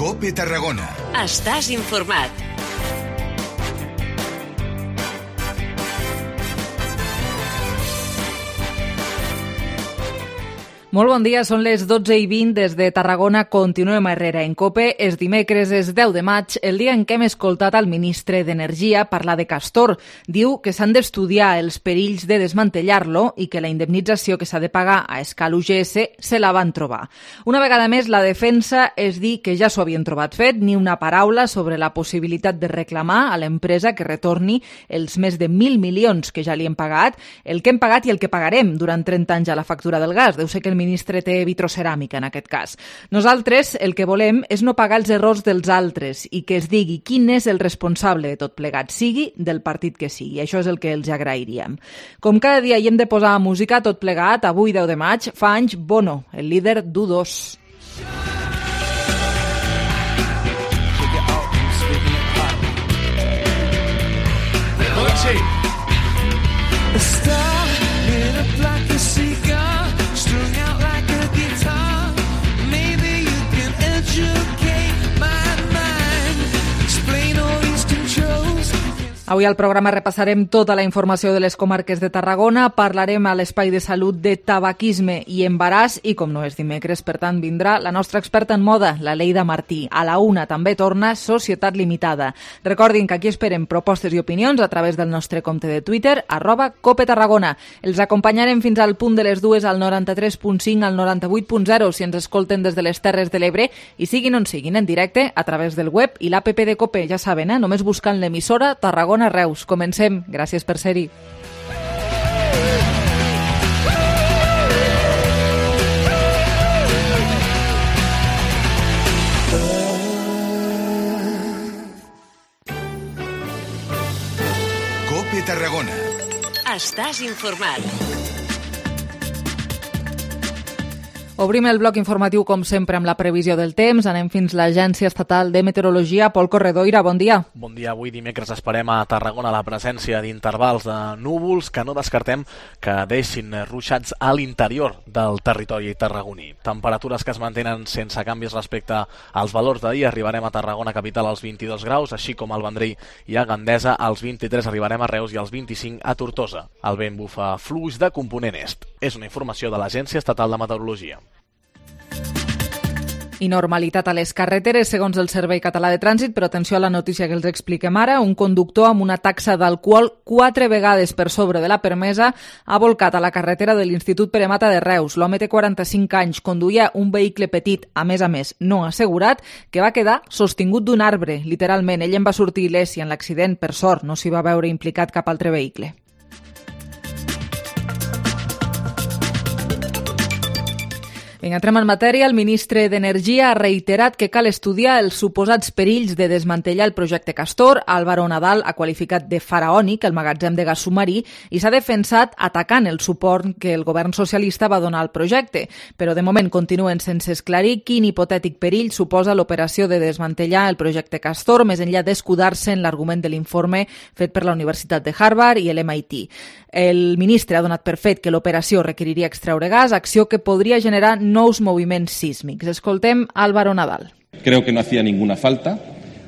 COPE Tarragona. Estàs informat. Molt bon dia, són les 12:20 des de Tarragona. Continuem a Herrera en COPE. És dimecres, és 10 de maig, el dia en què hem escoltat el ministre d'Energia parlar de Castor. Diu que s'han d'estudiar els perills de desmantellar-lo i que la indemnització que s'ha de pagar a escala UGS se la van trobar. Una vegada més, la defensa és dir que ja s'ho havien trobat fet, ni una paraula sobre la possibilitat de reclamar a l'empresa que retorni els més de 1.000 milions que ja li hem pagat, el que hem pagat i el que pagarem durant 30 anys a la factura del gas. Deu ser que el ministre té vitroceràmica en aquest cas. Nosaltres el que volem és no pagar els errors dels altres i que es digui quin és el responsable de tot plegat, sigui del partit que sigui. Això és el que els agrairíem. Com cada dia hi hem de posar música tot plegat, avui 10 de maig, fa anys Bono, el líder d'U2. Avui al programa repassarem tota la informació de les comarques de Tarragona, parlarem a l'Espai de Salut de tabaquisme i embaràs i, com no és dimecres, per tant, vindrà la nostra experta en moda, la Leida Martí. A la 1 també torna Societat Limitada. Recordin que aquí esperem propostes i opinions a través del nostre compte de Twitter, @CopeTarragona. Els acompanyarem fins al punt de les 2 al 93.5, al 98.0, si ens escolten des de les Terres de l'Ebre i siguin on siguin en directe a través del web i l'APP de COPE. Ja saben, només buscant l'emissora Tarragona Reus. Comencem. Gràcies per ser-hi. COPE Tarragona. Estàs informat. Obrim el bloc informatiu, com sempre, amb la previsió del temps. Anem fins l'Agència Estatal de Meteorologia. Pol Corredoira, bon dia. Bon dia. Avui dimecres esperem a Tarragona la presència d'intervals de núvols que no descartem que deixin ruixats a l'interior del territori tarragoní. Temperatures que es mantenen sense canvis respecte als valors d'ahir. Arribarem a Tarragona capital als 22 graus, així com al Vendrell i a Gandesa. Als 23 arribarem a Reus i als 25 a Tortosa. El vent bufa fluix de component est. És una informació de l'Agència Estatal de Meteorologia. I normalitat a les carreteres, segons el Servei Català de Trànsit, però atenció a la notícia que els expliquem ara. Un conductor amb una taxa d'alcohol 4 vegades per sobre de la permesa ha volcat a la carretera de l'Institut Pere Mata de Reus. L'home té 45 anys, conduïa un vehicle petit, a més, no assegurat, que va quedar sostingut d'un arbre, literalment. Ell en va sortir il·lès i en l'accident, per sort, no s'hi va veure implicat cap altre vehicle. Vinga, entrem en matèria. El ministre d'Energia ha reiterat que cal estudiar els suposats perills de desmantellar el projecte Castor. Álvaro Nadal ha qualificat de faraònic el magatzem de gas submarí i s'ha defensat atacant el suport que el govern socialista va donar al projecte. Però de moment continuen sense esclarir quin hipotètic perill suposa l'operació de desmantellar el projecte Castor, més enllà d'escudar-se en l'argument de l'informe fet per la Universitat de Harvard i l'MIT. El ministre ha donat per fet que l'operació requeriria extreure gas, acció que podria generar nous moviments sísmics. Escoltem Álvaro Nadal. Creo que no hacía ninguna falta,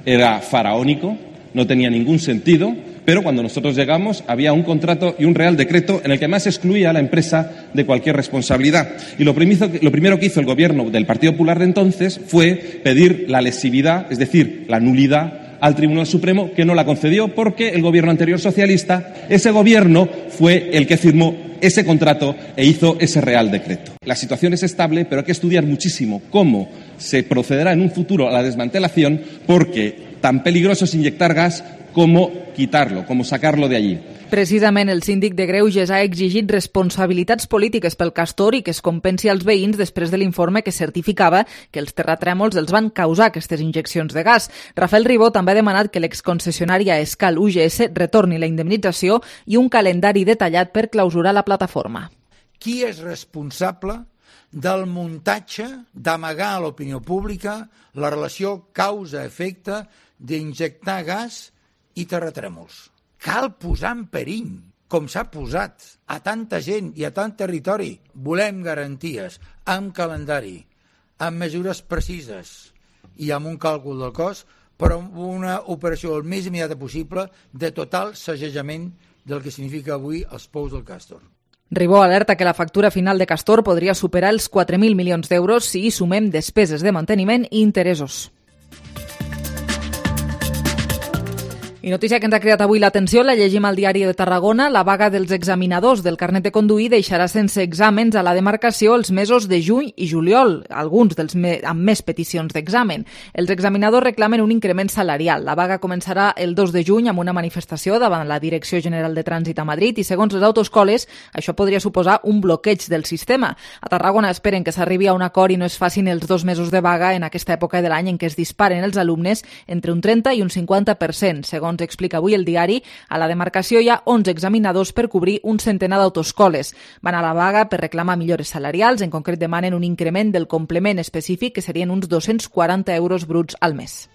era faraónico, no tenía ningún sentido, pero cuando nosotros llegamos había un contrato y un real decreto en el que más excluía a la empresa de cualquier responsabilidad. Y lo primero que hizo el gobierno del Partido Popular de entonces fue pedir la lesividad, es decir, la nulidad, al Tribunal Supremo, que no la concedió porque el gobierno anterior socialista, ese gobierno fue el que firmó ese contrato e hizo ese real decreto. La situación es estable, pero hay que estudiar muchísimo cómo se procederá en un futuro a la desmantelación, porque tan peligroso es inyectar gas como quitarlo, como sacarlo de allí. Precisament el síndic de Greuges ha exigit responsabilitats polítiques pel Castor i que es compensi als veïns després de l'informe que certificava que els terratrèmols els van causar aquestes injeccions de gas. Rafael Ribó també ha demanat que l'exconcessionari a Escal UGS retorni la indemnització i un calendari detallat per clausurar la plataforma. Qui és responsable del muntatge d'amagar a l'opinió pública la relació causa-efecte d'injectar gas i terratrèmols? Cal posar en perill, com s'ha posat, a tanta gent i a tant territori. Volem garanties, amb calendari, amb mesures precises i amb un càlcul del cost, però una operació el més immediata possible de total sacsejament del que significa avui els pous del Castor. Ribó alerta que la factura final de Castor podria superar els 4.000 milions d'euros si hi sumem despeses de manteniment i interessos. I notícia que ens ha creat avui l'atenció, la llegim al Diari de Tarragona. La vaga dels examinadors del carnet de conduir deixarà sense exàmens a la demarcació els mesos de juny i juliol, alguns amb més peticions d'examen. Els examinadors reclamen un increment salarial. La vaga començarà el 2 de juny amb una manifestació davant la Direcció General de Trànsit a Madrid i, segons les autoescoles, això podria suposar un bloqueig del sistema. A Tarragona esperen que s'arribi a un acord i no es facin els 2 mesos de vaga en aquesta època de l'any en què es disparen els alumnes entre un 30 i un 50%, segons explica avui el diari. A la demarcació hi ha 11 examinadors per cobrir un centenar d'autoescoles. Van a la vaga per reclamar millores salarials, en concret demanen un increment del complement específic que serien uns 240 euros bruts al mes.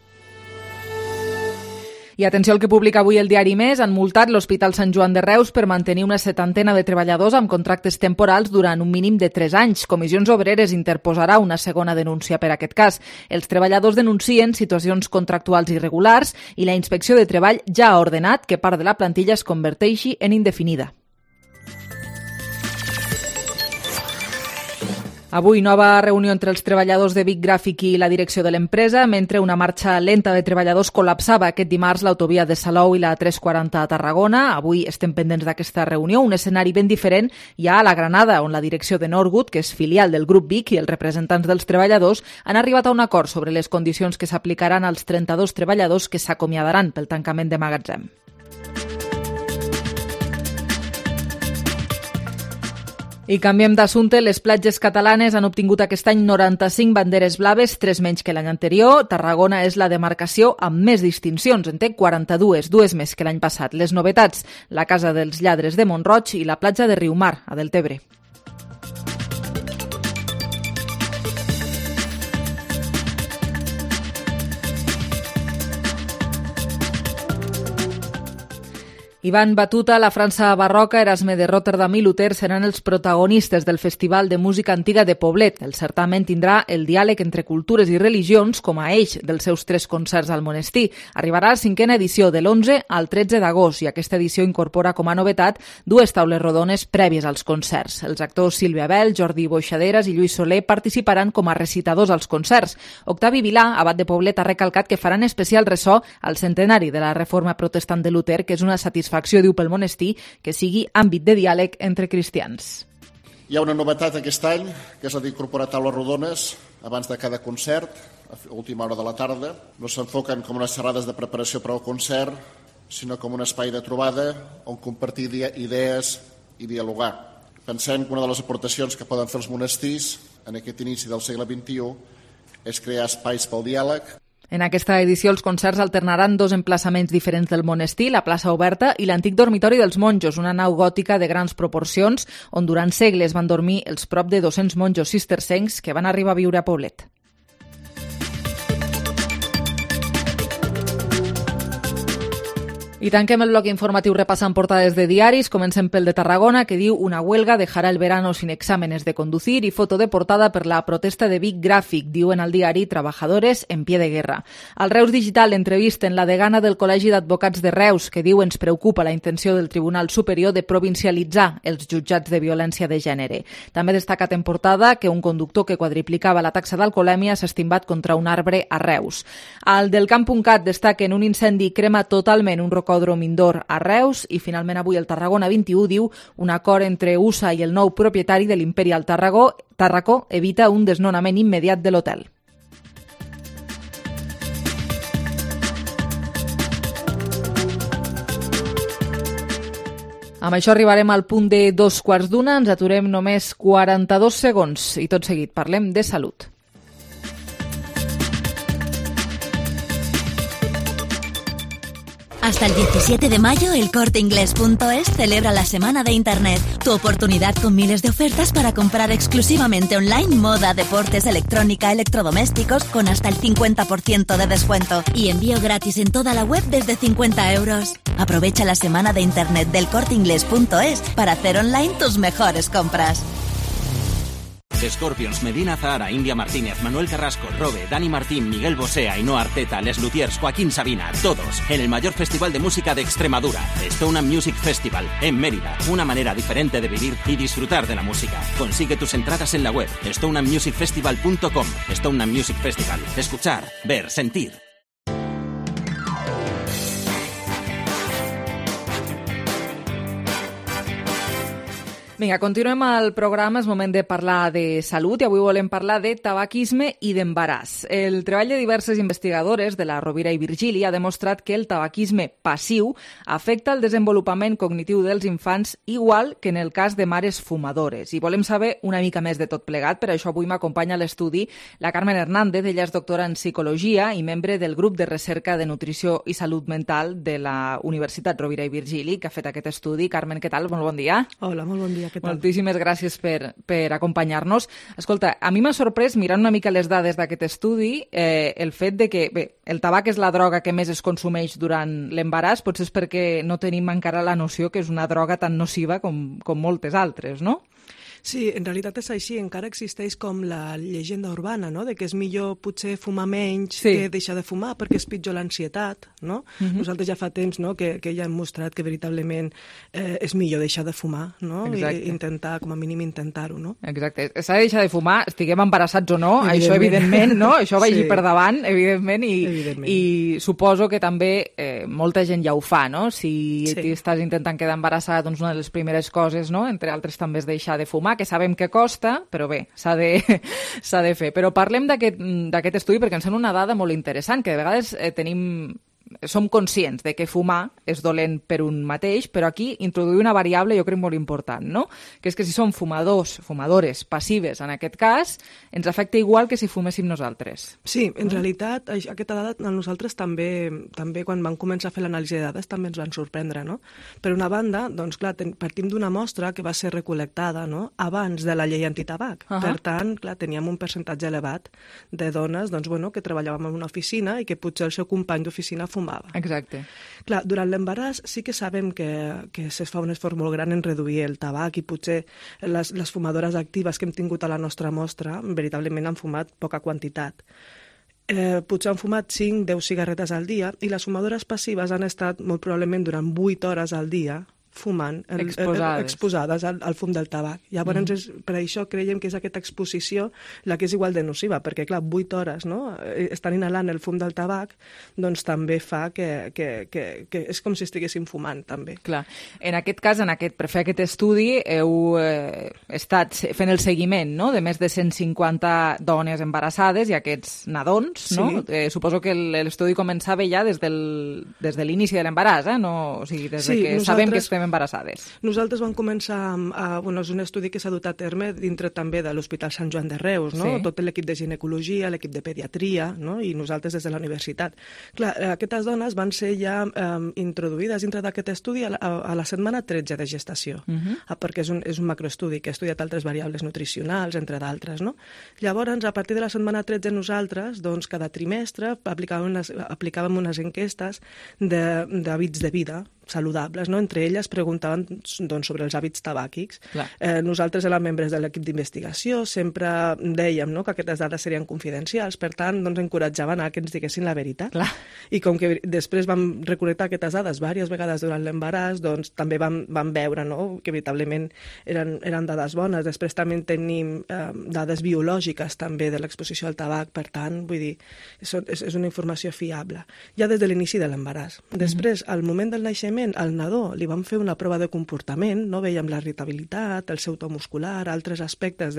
I atenció al que publica avui el diari Més, han multat l'Hospital Sant Joan de Reus per mantenir una 70 de treballadors amb contractes temporals durant un mínim de 3 anys. Comissions Obreres interposarà una segona denúncia per aquest cas. Els treballadors denuncien situacions contractuals irregulars i la Inspecció de Treball ja ha ordenat que part de la plantilla es converteixi en indefinida. Avui, nova reunió entre els treballadors de Vic Gràfic i la direcció de l'empresa, mentre una marxa lenta de treballadors col·lapsava aquest dimarts l'autovia de Salou i la 340 a Tarragona. Avui estem pendents d'aquesta reunió, un escenari ben diferent hi ha a la Granada, on la direcció de Norwood, que és filial del grup Vic, i els representants dels treballadors han arribat a un acord sobre les condicions que s'aplicaran als 32 treballadors que s'acomiadaran pel tancament de magatzem. I canviem d'assumpte. Les platges catalanes han obtingut aquest any 95 banderes blaves, 3 menys que l'any anterior. Tarragona és la demarcació amb més distincions, en té 42, 2 més que l'any passat. Les novetats, la Casa dels Lladres de Mont-roig i la platja de Riumar, a Deltebre. Ivan Batuta, la França barroca, Erasme de Rotterdam i Luter seran els protagonistes del Festival de Música Antiga de Poblet. El certamen tindrà el diàleg entre cultures i religions com a eix dels seus 3 concerts al monestir. Arribarà a la 5a edició de l'11 al 13 d'agost i aquesta edició incorpora com a novetat 2 taules rodones prèvies als concerts. Els actors Sílvia Bel, Jordi Boixaderes i Lluís Soler participaran com a recitadors als concerts. Octavi Vilà, abat de Poblet, ha recalcat que faran especial ressò al centenari de la reforma protestant de Luter, que és una satisfacció, diu, pel monestir, que sigui àmbit de diàleg entre cristians. Hi ha una novetat aquest any, que és la d'incorporar taules rodones abans de cada concert, a última hora de la tarda. No s'enfoquen com unes xerrades de preparació per al concert, sinó com un espai de trobada on compartir idees i dialogar. Pensem que una de les aportacions que poden fer els monestirs en aquest inici del segle XXI és crear espais pel diàleg. En aquesta edició els concerts alternaran 2 emplaçaments diferents del monestir, la plaça Oberta i l'antic dormitori dels monjos, una nau gòtica de grans proporcions on durant segles van dormir els prop de 200 monjos cistercencs que van arribar a viure a Poblet. I tanquem el bloc informatiu repassant portades de diaris. Comencem pel de Tarragona, que diu una huelga dejará el verano sin exámenes de conducir, i foto de portada per la protesta de Vic Gràfic. Diuen al diari trabajadores en pie de guerra. Al Reus Digital entrevisten la degana del Col·legi d'Advocats de Reus, que diu ens preocupa la intenció del Tribunal Superior de provincialitzar els jutjats de violència de gènere. També destacat en portada que un conductor que quadriplicava la taxa d'alcoholèmia s'ha estimbat contra un arbre a Reus. Al del Camp.cat destaquen un incendi crema totalment un rocòdrom indoor a Reus i finalment avui el Tarragona 21 diu un acord entre USA i el nou propietari de l'Imperial Tàrraco evita un desnonament immediat de l'hotel. Amb això arribarem al punt de 2:15, ens aturem només 42 segons i tot seguit parlem de salut. Hasta el 17 de mayo, el Corteinglés.es celebra la Semana de Internet. Tu oportunidad con miles de ofertas para comprar exclusivamente online moda, deportes, electrónica, electrodomésticos con hasta el 50% de descuento. Y envío gratis en toda la web desde 50 euros. Aprovecha la Semana de Internet del Corteinglés.es para hacer online tus mejores compras. Scorpions, Medina Zahara, India Martínez, Manuel Carrasco, Robe, Dani Martín, Miguel Bosé, Ainhoa Arteta, Les Luthiers, Joaquín Sabina, todos en el mayor festival de música de Extremadura, Stone and Music Festival, en Mérida. Una manera diferente de vivir y disfrutar de la música. Consigue tus entradas en la web stoneandmusicfestival.com. Stone and Music Festival. Escuchar, ver, sentir. Vinga, continuem el programa. És moment de parlar de salut i avui volem parlar de tabaquisme i d'embaràs. El treball de diverses investigadores de la Rovira i Virgili ha demostrat que el tabaquisme passiu afecta el desenvolupament cognitiu dels infants igual que en el cas de mares fumadores. I volem saber una mica més de tot plegat. Per això avui m'acompanya a l'estudi la Carmen Hernández. Ella és doctora en psicologia i membre del grup de recerca de nutrició i salut mental de la Universitat Rovira i Virgili, que ha fet aquest estudi. Carmen, què tal? Molt bon dia. Hola, molt bon dia. Moltíssimes gràcies per acompanyar-nos. Escolta, a mi m'ha sorprès, mirant una mica les dades d'aquest estudi, el fet de que el tabac és la droga que més es consumeix durant l'embaràs, potser és perquè no tenim encara la noció que és una droga tan nociva com moltes altres, no? Sí, en realitat és així. Encara existeix com la llegenda urbana, no?, de que és millor potser fumar menys que deixar de fumar perquè és pitjor l'ansietat, no? Nosaltres ja fa temps, no?, que ja hem mostrat que veritablement és millor deixar de fumar, no? I intentar, com a mínim, intentar-ho, no? Exacte. S'ha de deixar de fumar, estiguem embarassats o no, això evidentment, no? Això vagi per davant, evidentment, i suposo que també molta gent ja ho fa, no? Si estàs intentant quedar embarassada, doncs una de les primeres coses, no?, entre altres també és deixar de fumar, que sabem que costa, però bé, s'ha de fer. Però parlem d'aquest estudi perquè ens sembla una dada molt interessant, que de vegades som conscients de que fumar és dolent per un mateix, però aquí introduir una variable jo crec molt important, no? Que és que si som fumadores passives en aquest cas, ens afecta igual que si fuméssim nosaltres. Sí, en realitat aquesta dada a nosaltres també quan vam començar a fer l'anàlisi de dades també ens van sorprendre, no? Per una banda, doncs clar, partim d'una mostra que va ser recol·lectada, no?, abans de la llei antitabac. Per tant, clar, teníem un percentatge elevat de dones, doncs bueno, que treballàvem en una oficina i que potser el seu company d'oficina fumava. Exacte. Clar, durant l'embaràs sí que sabem que es fa un esforç molt gran en reduir el tabac i potser les fumadores actives que hem tingut a la nostra mostra veritablement han fumat poca quantitat. Potser han fumat 5-10 cigarretes al dia i les fumadores passives han estat molt probablement durant 8 hores al dia fumant, exposades al fum del tabac. Llavors, per això creiem que és aquesta exposició la que és igual de nociva, perquè, clar, 8 hores, no?, estan inhalant el fum del tabac, doncs també fa que és com si estiguéssim fumant, també. Clar. En aquest cas, per fer aquest estudi, heu estat fent el seguiment, no?, de més de 150 dones embarassades i aquests nadons, no? Suposo que l'estudi començava ja des de l'inici de l'embaràs, no? O sigui, des que sabem que estem embarassades. Nosaltres vam començar és un estudi que s'ha dut a terme dintre també de l'Hospital Sant Joan de Reus, no? Tot l'equip de ginecologia, l'equip de pediatria, no?, i nosaltres des de la universitat. Clar, aquestes dones van ser ja introduïdes dintre d'aquest estudi a la setmana 13 de gestació, perquè és un macroestudi que ha estudiat altres variables nutricionals, entre d'altres, no? Llavors, a partir de la setmana 13 nosaltres, doncs, cada trimestre aplicàvem unes enquestes d'hàbits de vida saludables, no? Entre elles preguntaven sobre els hàbits tabàquics. Nosaltres érem membres de l'equip d'investigació, sempre dèiem, no?, que aquestes dades serien confidencials, per tant, encoratjaven a que ens diguessin la veritat. I com que després vam recol·lectar aquestes dades diverses vegades durant l'embaràs, doncs també vam veure, no?, que veritablement eren dades bones. Després també tenim dades biològiques també de l'exposició al tabac, per tant, vull dir, és una informació fiable. Ja des de l'inici de l'embaràs. Després, al moment del naixement, al nadó li vam fer una prova de comportament, no? Veiem la irritabilitat, el seu to muscular, altres aspectes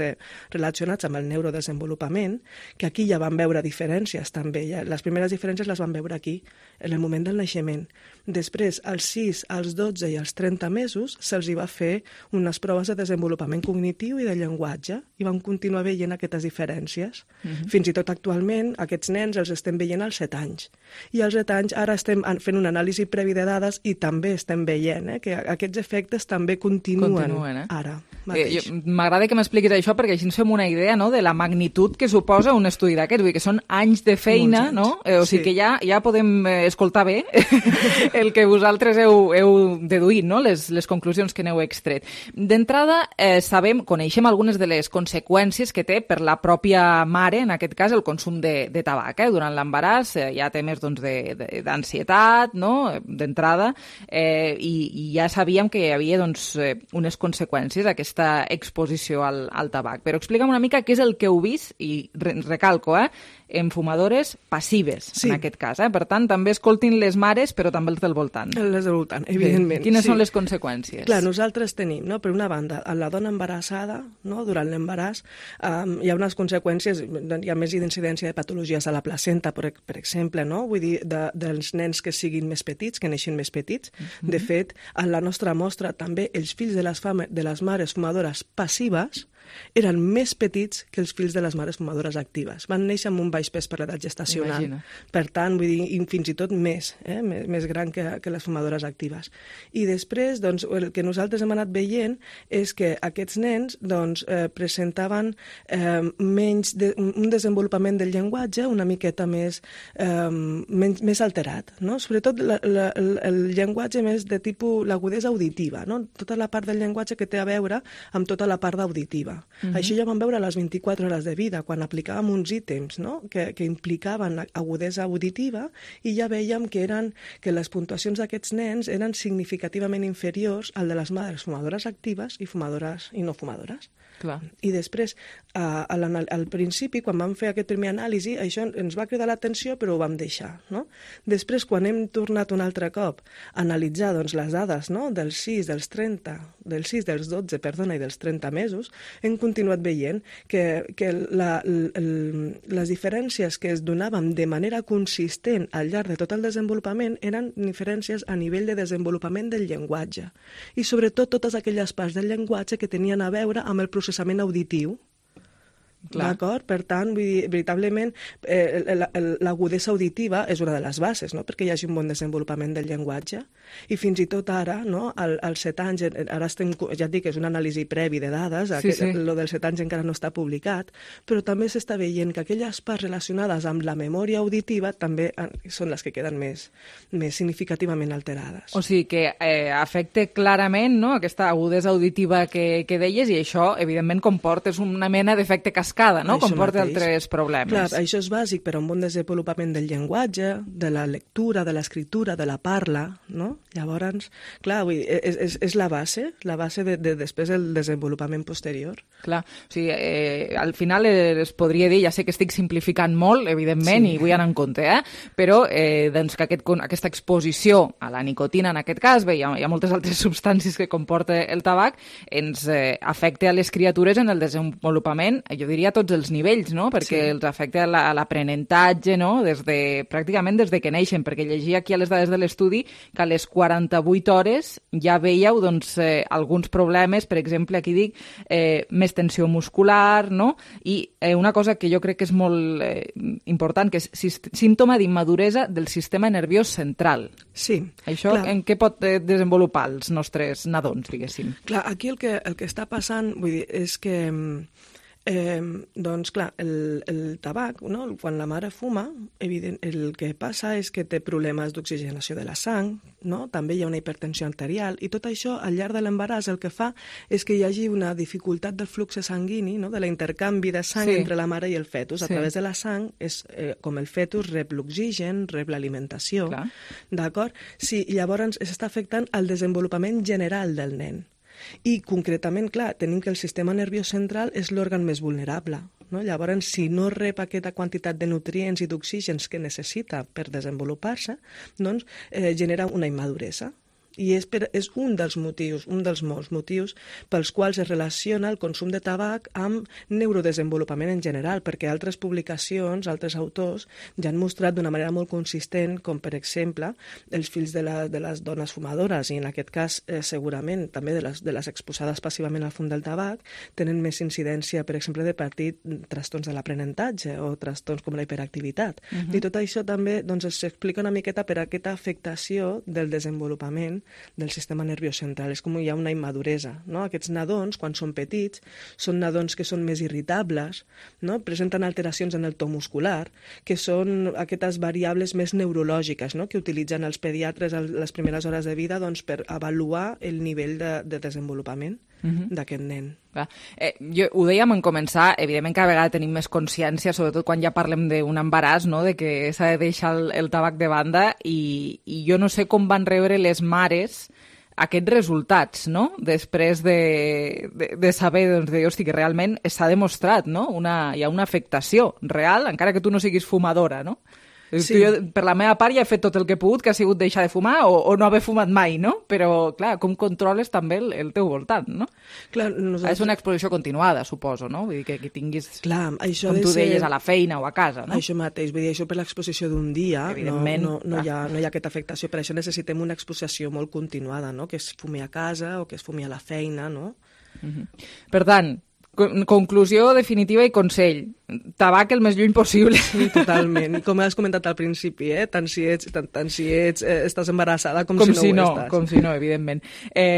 relacionats amb el neurodesenvolupament, que aquí ja vam veure diferències també. Les primeres diferències les vam veure aquí, en el moment del naixement. Després, als 6, als 12 i als 30 mesos, se'ls hi va fer unes proves de desenvolupament cognitiu i de llenguatge, i vam continuar veient aquestes diferències. Fins i tot actualment, aquests nens els estem veient als 7 anys. I als 7 anys ara estem fent una anàlisi previ de dades i també també estem veient que aquests efectes també continuen ara. M'agrada que m'expliquis això perquè així ens fem una idea, no?, de la magnitud que suposa un estudi d'aquests. Vull dir que són anys de feina, no? O sigui que ja podem escoltar bé el que vosaltres heu deduït, no?, les conclusions que n'heu extret. D'entrada, coneixem algunes de les conseqüències que té per la pròpia mare, en aquest cas, el consum de tabac. Durant l'embaràs hi ha temes d'ansietat, no?, d'entrada, i ja sabíem que hi havia unes conseqüències d'aquesta exposició al tabac. Però explica'm una mica què és el que heu vist, i recalco, en fumadores passives, en aquest cas. Per tant, també escoltin les mares, però també els del voltant. Les del voltant, evidentment. Quines són les conseqüències? Clar, nosaltres tenim, per una banda, a la dona embarassada, durant l'embaràs, hi ha unes conseqüències, hi ha més incidència de patologies a la placenta, per exemple, vull dir, dels nens que siguin més petits, que neixin més petits. De fet, a la nostra mostra també els fills de les mares fumadores passives eren més petits que els fills de les mares fumadores actives. Van néixer amb un baix pes per l'edat gestacional. Imagina. Per tant, vull dir, fins i tot més gran que les fumadores actives. I després, el que nosaltres hem anat veient és que aquests nens presentaven un desenvolupament del llenguatge una miqueta més alterat, no? Sobretot el llenguatge més de tipus l'agudesa auditiva, no? Tota la part del llenguatge que té a veure amb tota la part auditiva. Això ja vam veure a les 24 hores de vida, quan aplicàvem uns ítems, no?, que implicaven agudesa auditiva, i ja vèiem que les puntuacions d'aquests nens eren significativament inferiors al de les mares fumadores actives i fumadores i no fumadores. Clar. I després, al principi, quan vam fer aquest primer anàlisi, això ens va cridar l'atenció, però ho vam deixar, no? Després, quan hem tornat un altre cop a analitzar les dades, no?, dels 6, dels 30, dels 6, dels 12, i dels 30 mesos, hem continuat veient que les diferències que es donaven de manera consistent al llarg de tot el desenvolupament eren diferències a nivell de desenvolupament del llenguatge. I sobretot totes aquelles parts del llenguatge que tenien a veure amb el processament auditiu. D'acord? Per tant, veritablement, l'agudesa auditiva és una de les bases, no?, perquè hi hagi un bon desenvolupament del llenguatge. I fins i tot ara, no?, als 7 anys, ara estem, ja et dic, és una anàlisi previ de dades, lo dels 7 anys encara no està publicat, però també s'està veient que aquelles parts relacionades amb la memòria auditiva també són les que queden més significativament alterades. O sigui que afecta clarament, no?, aquesta agudesa auditiva que deies, i això, evidentment, comporta una mena d'efecte cascada, no?, comporta altres problemes. Clar, això és bàsic per a un bon desenvolupament del llenguatge, de la lectura, de l'escriptura, de la parla, no? Llavors, clar, és la base de després el desenvolupament posterior. Clar, o sigui, al final es podria dir, ja sé que estic simplificant molt, evidentment, i vull anar en compte, però que aquesta exposició a la nicotina, en aquest cas, hi ha moltes altres substàncies que comporta el tabac, ens afecta a les criatures en el desenvolupament, jo diria a tots els nivells, no?, perquè els afecta a l'aprenentatge, no?, pràcticament des de que neixen, perquè llegia aquí a les dades de l'estudi que a les 48 hores ja veieu alguns problemes, per exemple, aquí dic, més tensió muscular, no?, i una cosa que jo crec que és molt important, que és símptoma d'immaduresa del sistema nerviós central. Sí. Això en què pot desenvolupar els nostres nadons, diguéssim? Clar, aquí el que està passant, vull dir, és que doncs clar, el tabac, no? Quan la mare fuma, el que passa és que té problemes d'oxigenació de la sang, no? També hi ha una hipertensió arterial, i tot això al llarg de l'embaràs el que fa és que hi hagi una dificultat del flux sanguini, no? De l'intercanvi de sang entre la mare i el fetus. A través de la sang és com el fetus rep l'oxigen, rep l'alimentació, d'acord? Sí, llavors s'està afectant el desenvolupament general del nen. I concretament, clar, tenim que el sistema nerviós central és l'òrgan més vulnerable, no? Llavors, si no rep aquesta quantitat de nutrients i d'oxígens que necessita per desenvolupar-se, doncs genera una immaduresa. I és un dels molts motius pels quals es relaciona el consum de tabac amb neurodesenvolupament en general, perquè altres publicacions, altres autors, ja han mostrat d'una manera molt consistent com, per exemple, els fills de les dones fumadores, i en aquest cas segurament també de les exposades passivament al fum del tabac, tenen més incidència, per exemple, de patir trastorns de l'aprenentatge o trastorns com la hiperactivitat. I tot això també s'explica una miqueta per aquesta afectació del desenvolupament del sistema nerviós central. És com hi ha una immaduresa, no? Aquests nadons, quan són petits, són nadons que són més irritables, no? Presenten alteracions en el to muscular, que són aquestes variables més neurològiques, no? Que utilitzen els pediatres a les primeres hores de vida per avaluar el nivell de desenvolupament d'aquest nen. Ho dèiem en començar, evidentment cada vegada tenim més consciència, sobretot quan ja parlem d'un embaràs, no? De que s'ha de deixar el tabac de banda, i jo no sé com van rebre les mares aquests resultats, no? Després de saber hosti, que realment s'ha demostrat, no? Hi ha una afectació real, encara que tu no siguis fumadora, no? Sí. Jo, per la meva part, ja he fet tot el que he pogut, que ha sigut deixar de fumar o no haver fumat mai, no? Però, clar, com controles també el teu voltant, no? Clar, és una exposició continuada, suposo, no? Vull dir que tinguis, clar, això com tu deies, a la feina o a casa, no? Això mateix, vull dir, això per l'exposició d'un dia, evidentment, no hi ha aquesta afectació, per això necessitem una exposició molt continuada, no? Que es fumi a casa o que es fumi a la feina, no? Per tant, conclusió definitiva i consell: tabac el més lluny possible. Sí, totalment. I com has comentat al principi, tant si estàs embarassada com si no ho estàs. Com si no, evidentment.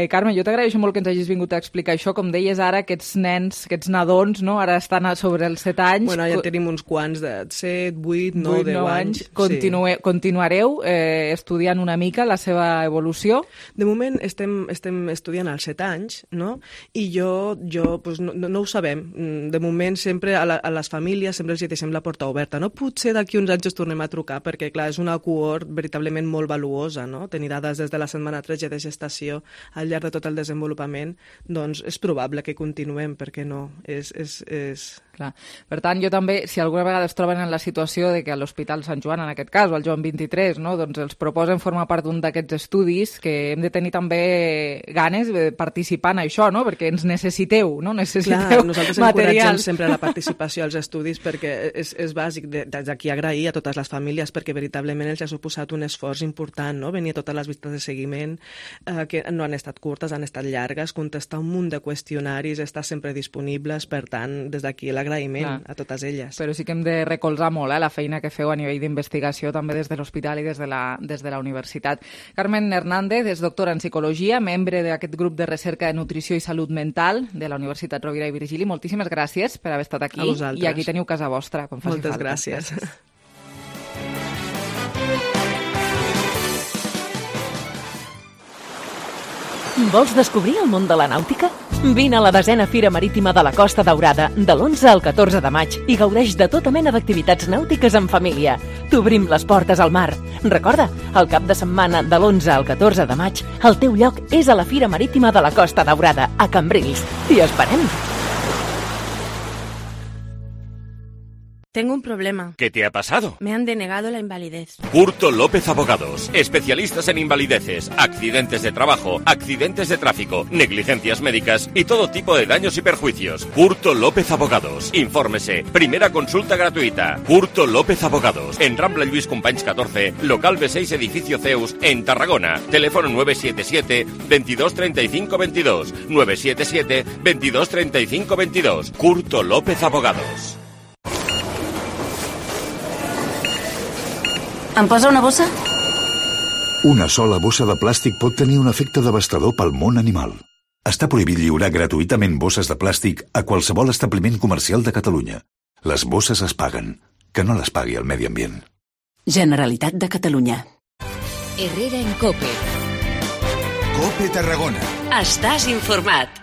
Carme, jo t'agraeixo molt que ens hagis vingut a explicar això. Com deies ara, aquests nens, aquests nadons, no? Ara estan sobre els 7 anys. Bueno, ja tenim uns quants de 7, 8, 9, 10 anys. Continuareu estudiant una mica la seva evolució? De moment estem estudiant als 7 anys, no? I jo pues, no ho sabem. De moment sempre a les famílies sempre els deixem la porta oberta, no? Potser d'aquí uns anys us tornem a trucar, perquè clar, és una cohort veritablement molt valuosa, no? Tenir dades des de la setmana 13 de gestació al llarg de tot el desenvolupament, doncs és probable que continuem, perquè no? Clar. Per tant, jo també, si alguna vegada es troben en la situació de que a l'Hospital Sant Joan, en aquest cas, o al Joan 23, no? Doncs els proposen formar part d'un d'aquests estudis, que hem de tenir també ganes de participar en això, no? Perquè ens necessiteu, no? Necessiteu nosaltres material. Encoratgem sempre la participació als estudis, perquè és bàsic des d'aquí agrair a totes les famílies, perquè veritablement els ha suposat un esforç important, no? Venir a totes les visites de seguiment, que no han estat curtes, han estat llargues, contestar un munt de qüestionaris, estar sempre disponibles, per tant, des d'aquí l'agraïment a totes elles. Però sí que hem de recolzar molt la feina que feu a nivell d'investigació, també des de l'hospital i des de la universitat. Carmen Hernández és doctora en psicologia, membre d'aquest grup de recerca de nutrició i salut mental de la Universitat Rovira i Virgili. Moltíssimes gràcies per haver estat aquí. A vosaltres. I aquí teniu casa vostra, quan faci Moltes falta. gràcies. Vols descobrir el món de la nàutica? Vine a la 10a Fira Marítima de la Costa Daurada de l'11 al 14 de maig i gaudeix de tota mena d'activitats nàutiques en família. T'obrim les portes al mar. Recorda, el cap de setmana de l'11 al 14 de maig, el teu lloc és a la Fira Marítima de la Costa Daurada, a Cambrils. T'hi esperem! Tengo un problema. ¿Qué te ha pasado? Me han denegado la invalidez. Curto López Abogados. Especialistas en invalideces, accidentes de trabajo, accidentes de tráfico, negligencias médicas y todo tipo de daños y perjuicios. Curto López Abogados. Infórmese. Primera consulta gratuita. Curto López Abogados. En Rambla Lluís Companys 14, local B6, edificio Zeus, en Tarragona. Teléfono 977 22 35 22. 977 22 35 22. Curto López Abogados. Em posa una bossa? Una sola bossa de plàstic pot tenir un efecte devastador pel món animal. Està prohibit lliurar gratuïtament bosses de plàstic a qualsevol establiment comercial de Catalunya. Les bosses es paguen. Que no les pagui el medi ambient. Generalitat de Catalunya. Herrera en COPE. COPE Tarragona. Estàs informat.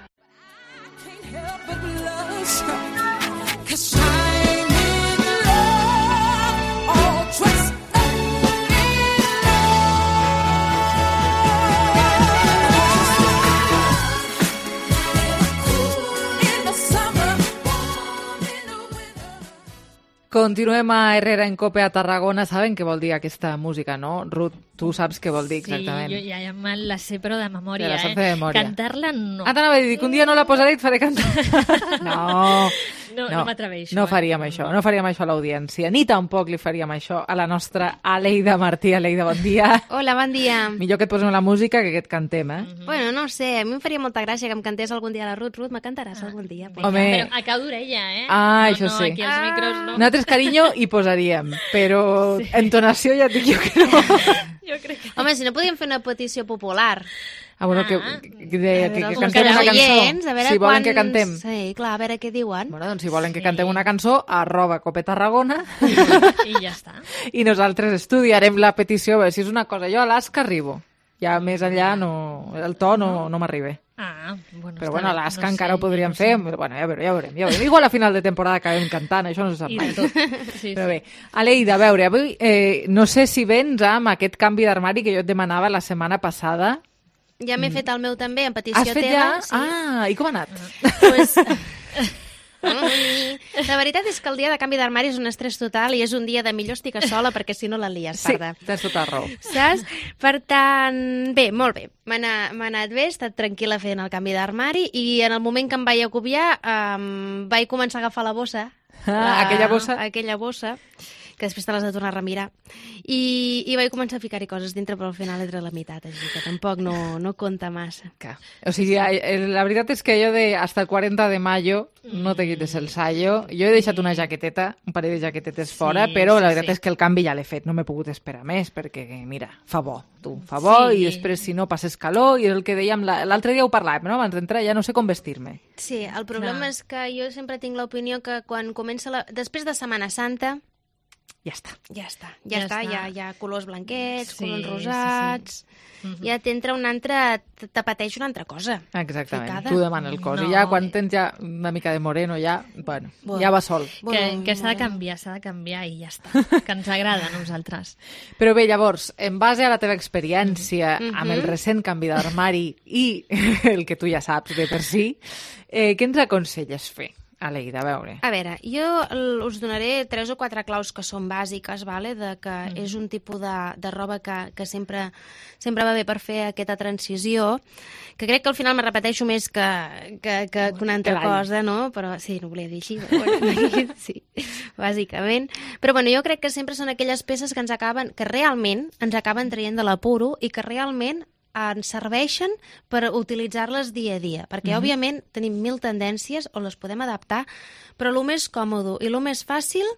Continuem a Herrera en Cope a Tarragona. Saben què vol dir aquesta música, no? Ruth, tu saps què vol dir exactament. Sí, jo ja me la sé, però de memòria, la saps de memòria. Cantar-la no. T'anava a dir que un dia no la posaré i et faré cantar. No m'atreveixo. No faríem això, no faríem això a l'audiència, ni tampoc li faríem això a la nostra Aleida Martí. Aleida, bon dia. Hola, bon dia. Millor que et posem la música que et cantem, eh? Bueno, no sé, a mi em faria molta gràcia que em cantés algun dia la Ruth. Ruth, me cantaràs algun dia? Home. Però a cau d'orella, eh? Ah, això sí. Aquí els micros no. Nosaltres, carinyo, hi posaríem, però entonació ja et dic jo que no. Jo crec que... Home, si no podíem fer una petició popular. Ah, bueno, que cantem una cançó. A veure si volen que cantem. Sí, clar, a veure què diuen. Bueno, doncs si volen que cantem una cançó, @Copetarragona. I ja està. I nosaltres estudiarem la petició, a veure si és una cosa. Jo a l'Asca arribo. Ja més enllà no, el to no m'arriba. Bueno, però bueno, a l'Asca encara ho podríem fer. Bueno, ja veurem. Igual a final de temporada acabem cantant, això no se sap mai. Però bé, Aleida, a veure, avui no sé si vens amb aquest canvi d'armari que jo et demanava la setmana passada. Ja m'he fet el meu també, en petició teva. Has fet ja? Sí. Ah, i com ha anat? Pues... La veritat és que el dia de canvi d'armari és un estrès total i és un dia de millor estic a sola perquè si no la lies, parda. Sí, tens tota raó. Saps? Per tant, bé, molt bé. M'ha anat bé, he estat tranquil·la fent el canvi d'armari i en el moment que em vaig acopiar vaig començar a agafar la bossa. Aquella bossa? Aquella bossa, que després te l'has de tornar a remirar. I vaig començar a ficar-hi coses dintre, però al final entre la meitat, així que tampoc no compta massa. O sigui, la veritat és que jo hasta el 40 de mayo no te quites el sallo. Jo he deixat una jaqueteta, un parell de jaquetetes fora, però la veritat és que el canvi ja l'he fet. No m'he pogut esperar més, perquè, mira, fa bo, fa bo, i després, si no, passes calor, i és el que dèiem, l'altre dia ho parlàvem, no? Abans d'entrar ja no sé com vestir-me. Sí, el problema és que jo sempre tinc l'opinió que quan comença després de Setmana Santa, ja està. Ja colors blanquets, colors rosats... Ja t'entra un altre... te pateix una altra cosa. Exactament, ficada. tu demana el cos. I ja quan tens ja una mica de moreno, ja va sol. Que s'ha de canviar i ja està. Que ens agrada a nosaltres. Però bé, llavors, en base a la teva experiència amb el recent canvi d'armari i el que tu ja saps de per si, què ens aconselles fer? Aleida, a veure. A veure, jo us donaré 3 o 4 claus que són bàsiques, vale? De que és un tipus de roba que sempre va bé per fer aquesta transició, que crec que al final me repeteixo més que una altra cosa, no? Però sí, no volia dir així, però bueno, sí, bàsicament. Però bueno, jo crec que sempre són aquelles peces que realment ens acaben traient de l'apuro i que realment ens serveixen per utilitzar-les dia a dia, perquè òbviament tenim 1000 tendències on les podem adaptar, però el més còmode i el més fàcil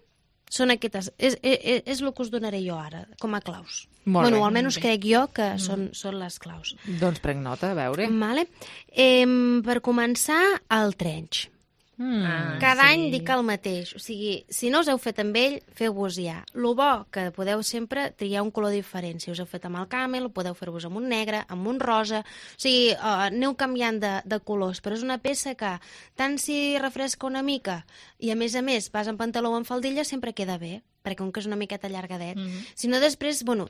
són aquestes. És el que us donaré jo ara, com a claus. Bueno, almenys crec jo que són les claus. Doncs prenc nota, a veure. Vale. Per començar, el trench. Cada any dic el mateix. O sigui, si no us heu fet amb ell, feu-vos ja. Lo bo que podeu sempre triar un color diferent. Si us heu fet amb el camel, podeu fer-vos amb un negre, amb un rosa. O sigui, aneu canviant de colors. Però és una peça que, tant si refresca una mica i a més vas en pantaló o en faldilla, sempre queda bé, perquè com que és una miqueta allargadet. Si no, després, bueno,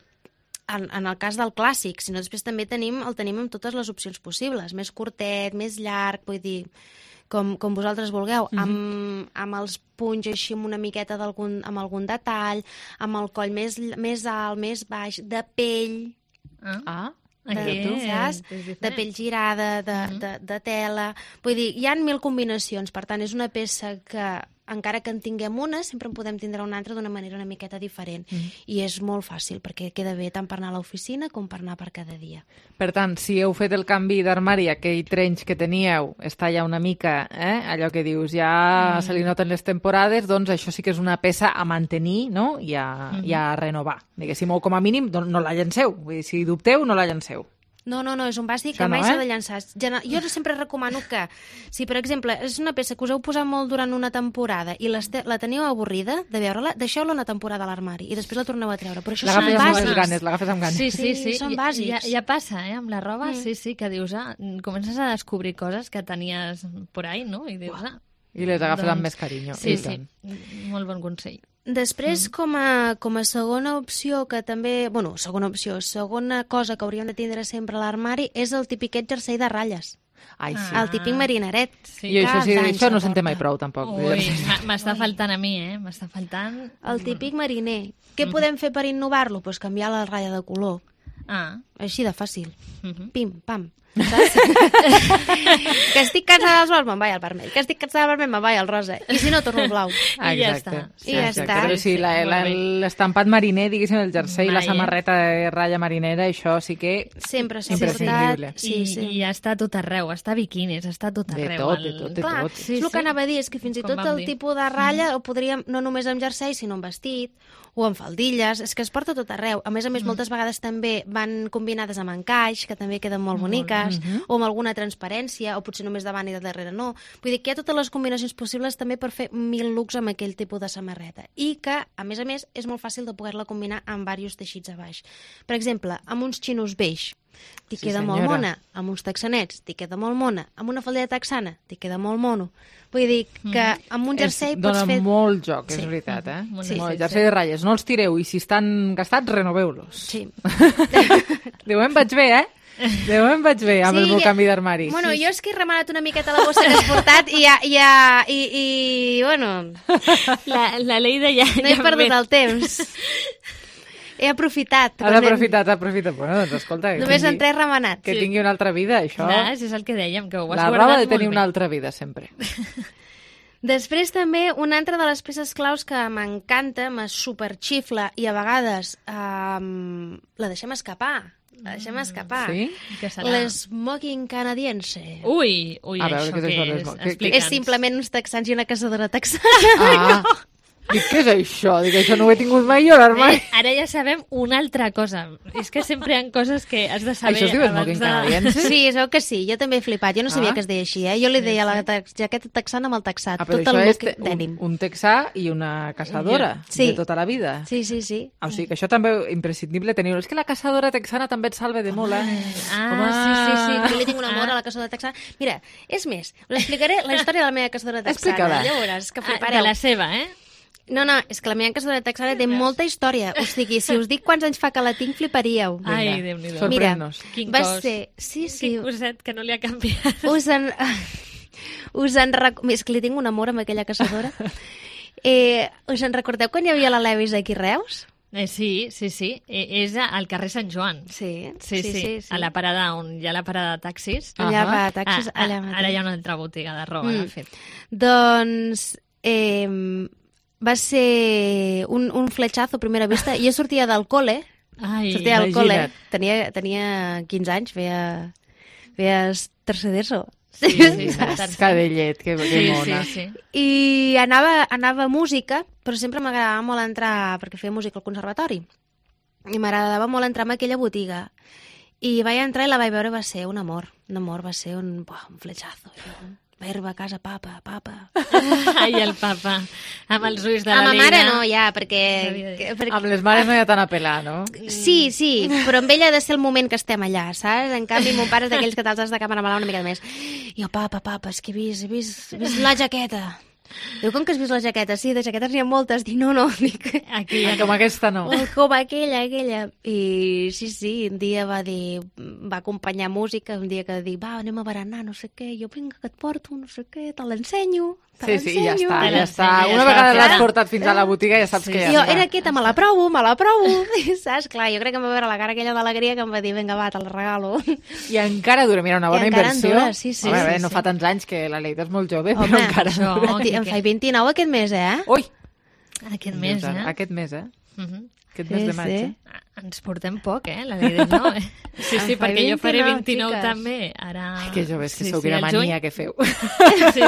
en el cas del clàssic, si no, després també el tenim amb totes les opcions possibles. Més curtet, més llarg, vull dir... com vosaltres vulgueu, amb els punys així amb una miqueta amb algun detall, amb el coll més alt, més baix, de pell, de pell girada, de tela... Vull dir, hi ha 1000 combinacions, per tant, és una peça que, encara que en tinguem una, sempre en podem tindre una altra d'una manera una miqueta diferent. I és molt fàcil, perquè queda bé tant per anar a l'oficina com per anar per cada dia. Per tant, si heu fet el canvi d'armari, aquell trench que teníeu està ja una mica, allò que dius, ja se li noten les temporades, doncs això sí que és una peça a mantenir, no? I a renovar. Diguéssim, o com a mínim, no la llanceu. Vull dir, si dubteu, no la llanceu. No, és un bàsic que mai s'ha de llançar. Jo sempre recomano que, si per exemple és una peça que us heu posat molt durant una temporada i la teniu avorrida de veure-la, deixeu-la una temporada a l'armari i després la torneu a treure. Però això són bàsics. L'agafes amb ganes. Sí, són bàsics. Ja passa, amb la roba, sí, que dius, comences a descobrir coses que tenies por ahí, no? I dius, I les agafes amb més carinyo. Sí, molt bon consell. Després, com a segona opció, que també... Bueno, segona cosa que hauríem de tindre sempre a l'armari és el tipiquet jersei de ratlles. Ai, sí. El típic marineret. Sí, i això no senté mai prou, tampoc. Ui, m'està faltant a mi, m'està faltant... El típic mariner. Què podem fer per innovar-lo? Doncs canviar la ratlla de color. Així de fàcil. Pim, pam. Saps? Que estic cansada dels blaus, me'n vaig al vermell. Que estic cansada del vermell, me'n vaig al rosa. I si no, torno al blau. I ja està. I ja està. Però sí, l'estampat mariner, diguéssim, el jersei i la samarreta de ratlla marinera, això sí que... Sempre s'ha portat. I ja està tot arreu, està biquinis, està tot arreu. De tot. Clar, és el que anava a dir, és que fins i tot el tipus de ratlla ho podríem, no només amb jersei, sinó amb vestit, o amb faldilles, és que es porta tot arreu. A més, moltes vegades també van combinades amb encaix, que també queden molt boniques, o amb alguna transparència, o potser només davant i de darrere no. Vull dir que hi ha totes les combinacions possibles també per fer 1000 looks amb aquell tipus de samarreta. I que, a més, és molt fàcil de poder-la combinar amb diversos teixits a baix. Per exemple, amb uns xinos beix, t'hi queda molt mona. Amb uns texanets, t'hi queda molt mona. Amb una faldilla texana, t'hi queda molt mono. Vull dir que amb un jersei pots fer... Dóna molt joc, és veritat, Molt jersei de ratlles. No els tireu, i si estan gastats, renoveu-los. Sí. De moment vaig bé, De moment vaig bé amb el meu canvi d'armari. Bueno, jo és que he remenat una miqueta la bossa que has portat i bueno... La Leida ja... No he perdut el temps. He aprofitat. Has aprofitat. Bueno, doncs escolta... Només en 3 remenats. Que tingui una altra vida, això... És el que dèiem, que ho has guardat molt bé. La roba ha de tenir una altra vida, sempre. Després també, una altra de les peces claus que m'encanta, me superxifla i a vegades la deixem escapar. Sí? L'smoking canadiense. Ui, això què és? Explica'ns. És simplement uns texans i una caçadora texana. Dic, què és això? Dic, això no ho he tingut mai jo a l'armari. Ara ja sabem una altra cosa. És que sempre hi ha coses que has de saber... Això es diu smoking canadiense? Sí, es veu que sí. Jo també he flipat. Jo no sabia que es deia així, Jo li deia la jaqueta texana amb el texat. Però tot això és un texà i una caçadora de tota la vida. Sí. O sigui que això també és imprescindible tenir-ho. És que la caçadora texana també et salva de molt, Sí. Jo li tinc un amor a la caçadora texana. Mira, és més, us explicaré la història de la meva caçadora texana. Explica-la. Llavors, que flipareu. De la seva, No, és que la meva caçadora texana té molta història. O sigui, si us dic quants anys fa que la tinc, fliparíeu. Ai, Déu-n'hi-do. Sorprèn-nos. Quin cos. Quin coset que no li ha canviat. És que li tinc un amor amb aquella caçadora. Us en recordeu quan hi havia la Levis aquí a Reus? Sí. És al carrer Sant Joan. Sí. A la parada on hi ha la parada de taxis. Allà va, taxis, allà mateix. Ara hi ha una altra botiga de roba, de fet. Doncs... va ser un fletxazo a primera vista. Jo sortia del col·le, tenia 15 anys, feia tercer d'ESO. Sí, cadellet, que mona. Sí. I anava a música, però sempre m'agradava molt entrar, perquè feia música al conservatori, i m'agradava molt entrar en aquella botiga. I vaig entrar i la vaig veure, va ser un amor, va ser un fletxazo. Vaig arribar a casa, papa. Ai, el papa, amb els ulls de la Leida. Amb ma mare no, ja, perquè... Amb les mares no hi ha tant a pelar, no? Sí, però amb ella ha de ser el moment que estem allà, saps? En canvi, mon pare és d'aquells que te'ls has de camaremelar una mica més. I jo, papa, és que he vist la jaqueta. Diu, com que has vist la jaqueta? Sí, de jaquetes n'hi ha moltes. Dic, no, dic... Com aquesta no. Com aquella. I sí, un dia va acompanyar música, un dia que dic, anem a berenar, no sé què, jo vinga, que et porto, no sé què, te l'ensenyo. Sí, ja està. Una vegada l'has portat fins a la botiga ja saps que ja està. Jo era quieta, me la provo. Saps? Clar, jo crec que em va veure la cara aquella d'alegria que em va dir, vinga, va, te la regalo. I encara dura, mira, una bona inversió. Sí. Home, no fa tants anys que la Leida és molt jove, però encara dura. Em faig 29 aquest mes, Ui! Aquest mes, Aquest mes de maig, Ens portem poc, la Leida no, Sí, perquè jo faré 29 també. Ara... Ai, que joves, que sou, quina mania que feu. Sí.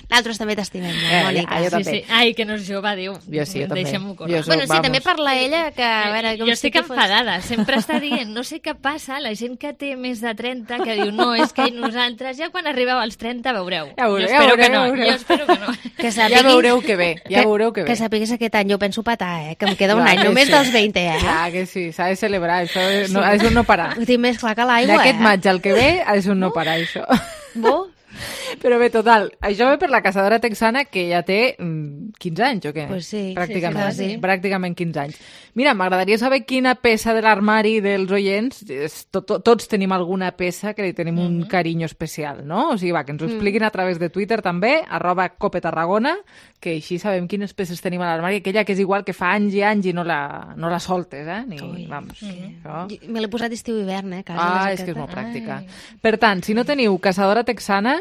Nosaltres també t'estimem, Mònica. Jo també. Ai, que no és jove, Déu. Jo sí, jo també. Deixem-ho córrer. Bueno, sí, també parla ella que... Jo estic enfadada. Sempre està dient, no sé què passa, la gent que té més de 30, que diu, no, és que nosaltres ja quan arribeu als 30 veureu. Jo espero que no. Ja veureu que ve. Que sapiguis aquest any, jo penso petar, que em queda un any, només dels 20, Clar que sí, s'ha de celebrar, això és un no parar. Ho tinc més clar que l'aigua, D'aquest maig al que ve és un no parar, això. Bo? Però bé, total, això ve per la caçadora texana que ja té 15 anys, o què? Pues sí, pràcticament 15 anys. Mira, m'agradaria saber quina peça de l'armari dels oients, tots tenim alguna peça que li tenim un carinyo especial, no? O sigui, va, que ens ho expliquin a través de Twitter també, @copetarragona, que així sabem quines peces tenim a l'armari, aquella que és igual que fa anys i anys i no la soltes, vamos. Me l'he posat estiu-hivern, és que és molt pràctica. Per tant, si no teniu caçadora texana,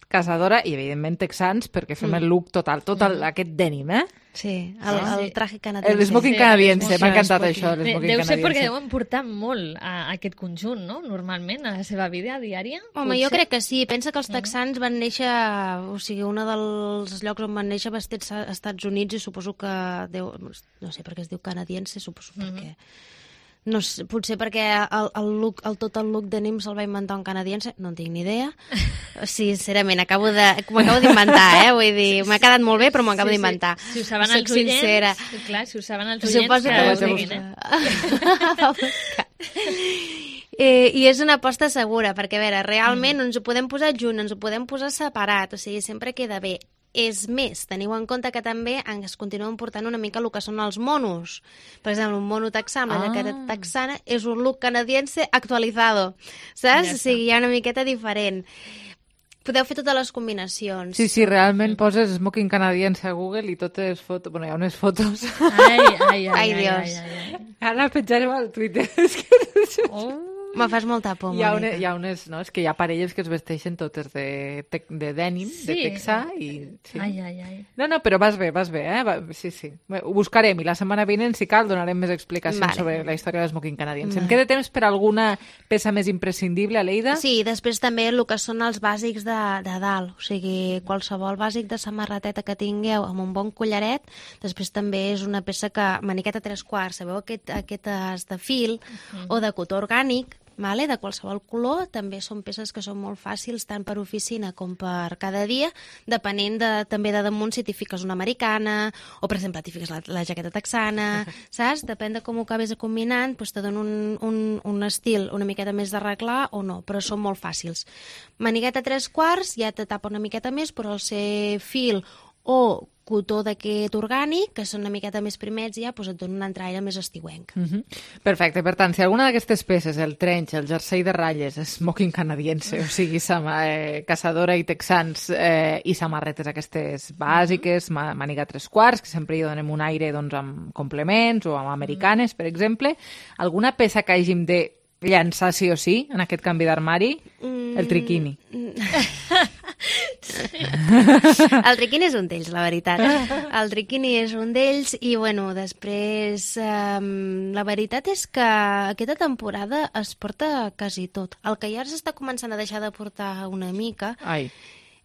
caçadora i, evidentment, texans, perquè fem el look total, aquest denim, Sí, el traje canadiense. El smoking canadiense, m'ha encantat això, el smoking canadiense. Deu ser perquè deuen portar molt aquest conjunt, no?, normalment, a la seva vida diària. Home, jo crec que sí. Pensa que els texans van néixer, o sigui, un dels llocs on van néixer va ser als Estats Units i suposo que no sé per què es diu canadiense, suposo perquè... No sé, potser perquè tot el look denim se'l va inventar un canadiense, no en tinc ni idea. Sincerament, m'ho acabo d'inventar, vull dir, m'ha quedat molt bé, però m'ho acabo d'inventar. Si ho saben els oients, clar, si ho saben els oients, que ho diguin, I és una aposta segura, perquè, a veure, realment ens ho podem posar junt, ens ho podem posar separat, o sigui, sempre queda bé. És més, teniu en compte que també es continuen portant una mica el que són els monos. Per exemple, un mono texà amb la jaqueta texana és un look canadiense actualizado, saps? O sigui, hi ha una miqueta diferent. Podeu fer totes les combinacions. Sí, realment poses smoking canadiense a Google i totes fotos... Bueno, hi ha unes fotos. Ai, Dios. Ara la penjarem al Twitter. Me fas molta por, Mònica. Hi ha unes, no? És que hi ha parelles que es vesteixen totes de denim, de texà i... Sí. Ai. No, però vas bé, Sí. Ho buscarem i la setmana vinent, si cal, donarem més explicacions sobre la història de smoking canadiense. Em queda temps per alguna peça més imprescindible, Aleida? Sí, després també el que són els bàsics de dalt, o sigui, qualsevol bàsic de samarreteta que tingueu amb un bon collaret, després també és una peça que, maniqueta 3/4, sabeu aquestes de fil o de cotó orgànic, de qualsevol color, també són peces que són molt fàcils tant per oficina com per cada dia, depenent també de damunt si t'hi fiques una americana o, per exemple, t'hi fiques la jaqueta texana, saps? Depèn de com ho acabes combinant, doncs te dona un estil una miqueta més d'arreglar o no, però són molt fàcils. Manigueta 3/4 ja te tapa una miqueta més, però al ser fil o cotó d'aquest orgànic, que són una miqueta més primets, ja et dona un altre aire més estiuenc. Perfecte, per tant, si alguna d'aquestes peces, el trench, el jersei de ratlles, smoking canadiense, o sigui, caçadora i texans i samarretes aquestes bàsiques, màniga 3/4, que sempre hi donem un aire amb complements o amb americanes, per exemple, alguna peça que hàgim de llançar sí o sí en aquest canvi d'armari? El triquini. El triquini és un d'ells, la veritat. El triquini és un d'ells i, bueno, després la veritat és que aquesta temporada es porta quasi tot. El que ja s'està començant a deixar de portar una mica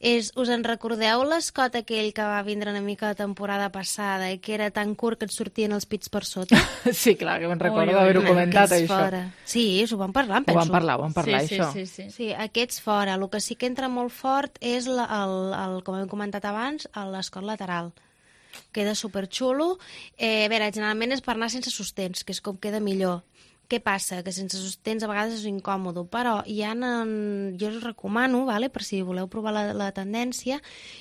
us en recordeu l'escot aquell que va vindre una mica la temporada passada i que era tan curt que et sortien els pits per sota? Sí, clar, que me'n recordo d'haver-ho comentat, això. Sí, s'ho vam parlar, penso. Ho vam parlar, això. Sí, aquests fora. El que sí que entra molt fort és, com hem comentat abans, l'escot lateral. Queda superxulo. A veure, generalment és per anar sense sostens, que és com queda millor. Què passa? Que sense sostens a vegades és incòmode, però jo us recomano, per si voleu provar la tendència,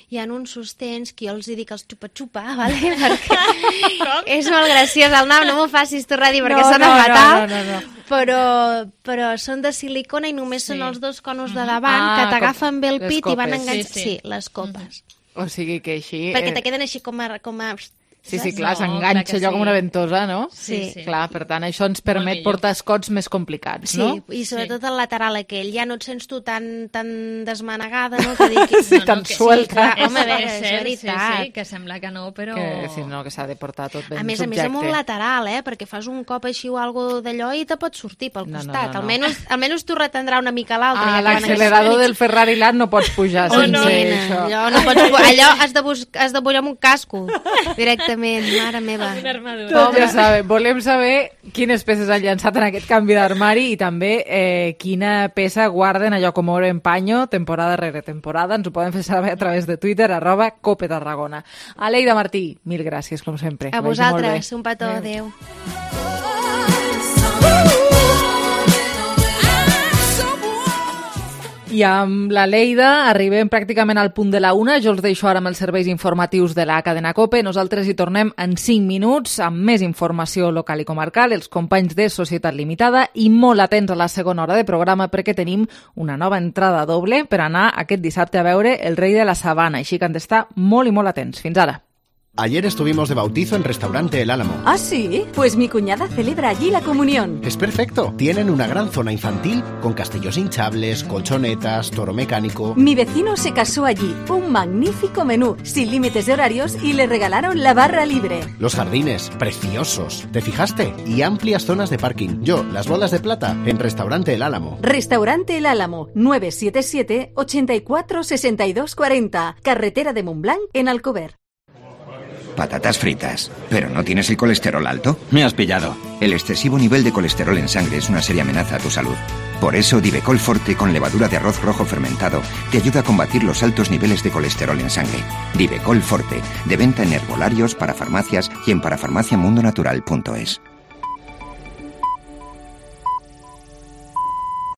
hi ha uns sostens que jo els dic els xupa-xupa, perquè és molt graciós el nom, no m'ho facis tornar a dir perquè sona fatal, però són de silicona i només són els dos conos de davant que t'agafen bé el pit i van enganxar... Sí, les copes. O sigui que així... Perquè te queden així com a... Sí, clar, s'enganxa allò com una ventosa, no? Sí. Clar, per tant, això ens permet portar escots més complicats, no? Sí, i sobretot el lateral aquell. Ja no et sents tu tan desmanegada, no? Sí, tan suelta. Home, a veure, és veritat. Sí, que sembla que no, però... Que s'ha de portar tot ben subjecte. A més amb un lateral, perquè fas un cop així o alguna d'allò i te pot sortir pel costat. Almenys t'ho retendrà una mica l'altre. A l'accelerador del Ferrari Land no pots pujar sense això. Allò has de pujar amb un casco, directament. Mare meva. Una armadura. Ja sabem, volem saber quines peces han llançat en aquest canvi d'armari i també quina peça guarden allò com oro en paño temporada rere temporada. Ens ho poden fer saber a través de Twitter, @copetarragona. Aleida Martí, mil gràcies, com sempre. A vosaltres, un petó, adeu. I amb la Lleida arribem pràcticament al punt de la 1. Jo els deixo ara amb els serveis informatius de la cadena COPE. Nosaltres hi tornem en 5 minuts amb més informació local i comarcal, els companys de Societat Limitada, i molt atents a la segona hora de programa perquè tenim una nova entrada doble per anar aquest dissabte a veure El rei de la sabana. Així que han d'estar molt i molt atents. Fins ara. Ayer estuvimos de bautizo en Restaurante El Álamo. ¿Ah, sí? Pues mi cuñada celebra allí la comunión. Es perfecto. Tienen una gran zona infantil con castillos hinchables, colchonetas, toro mecánico. Mi vecino se casó allí. Un magnífico menú, sin límites de horarios, y le regalaron la barra libre. Los jardines, preciosos. ¿Te fijaste? Y amplias zonas de parking. Yo, las bolas de plata, en Restaurante El Álamo. Restaurante El Álamo, 977 84 62 40. Carretera de Montblanc, en Alcover. Patatas fritas. ¿Pero no tienes el colesterol alto? Me has pillado. El excesivo nivel de colesterol en sangre es una seria amenaza a tu salud. Por eso, Divecol Forte con levadura de arroz rojo fermentado te ayuda a combatir los altos niveles de colesterol en sangre. Divecol Forte, de venta en herbolarios, parafarmacias y en parafarmaciamundonatural.es.